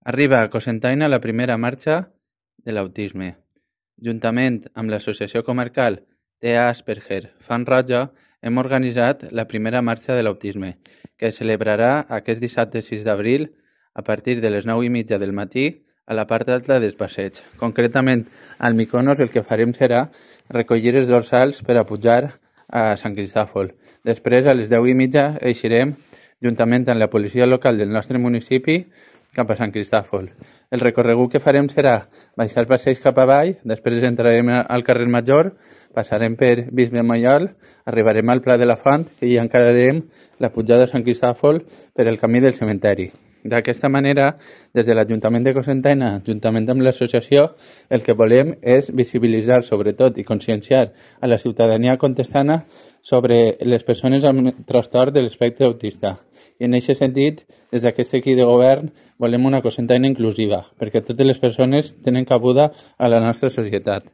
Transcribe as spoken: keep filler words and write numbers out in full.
Arriba a Cocentaina la primera marxa de l'autisme. Juntament amb l'Associació Comarcal T E A Asperger Fan Roja hem organitzat la primera marxa de l'autisme, que es celebrarà aquest dissabte sis d'abril a partir de les nou i mitja del matí a la part alta del passeig. Concretament, al Mykonos el que farem serà recollir els dorsals per a pujar a Sant Cristòfol. Després, a les deu i mitja, eixirem juntament amb la policia local del nostre municipi cap a Sant Cristòfol. El recorregut que farem serà baixar el passeig cap avall, després entrarem al carrer Major, passarem per Bisbe Maiol, arribarem al Pla de la Font i encararem la pujada a Sant Cristòfol per el camí del cementeri. D'aquesta manera, des de l'Ajuntament de Cocentaina, juntament amb l'associació, el que volem és visibilitzar sobretot i conscienciar a la ciutadania contestana sobre les persones amb trastorn de l'espectre autista. I en aquest sentit, des d'aquest equip de govern, volem una Cocentaina inclusiva, perquè totes les persones tenen cabuda a la nostra societat.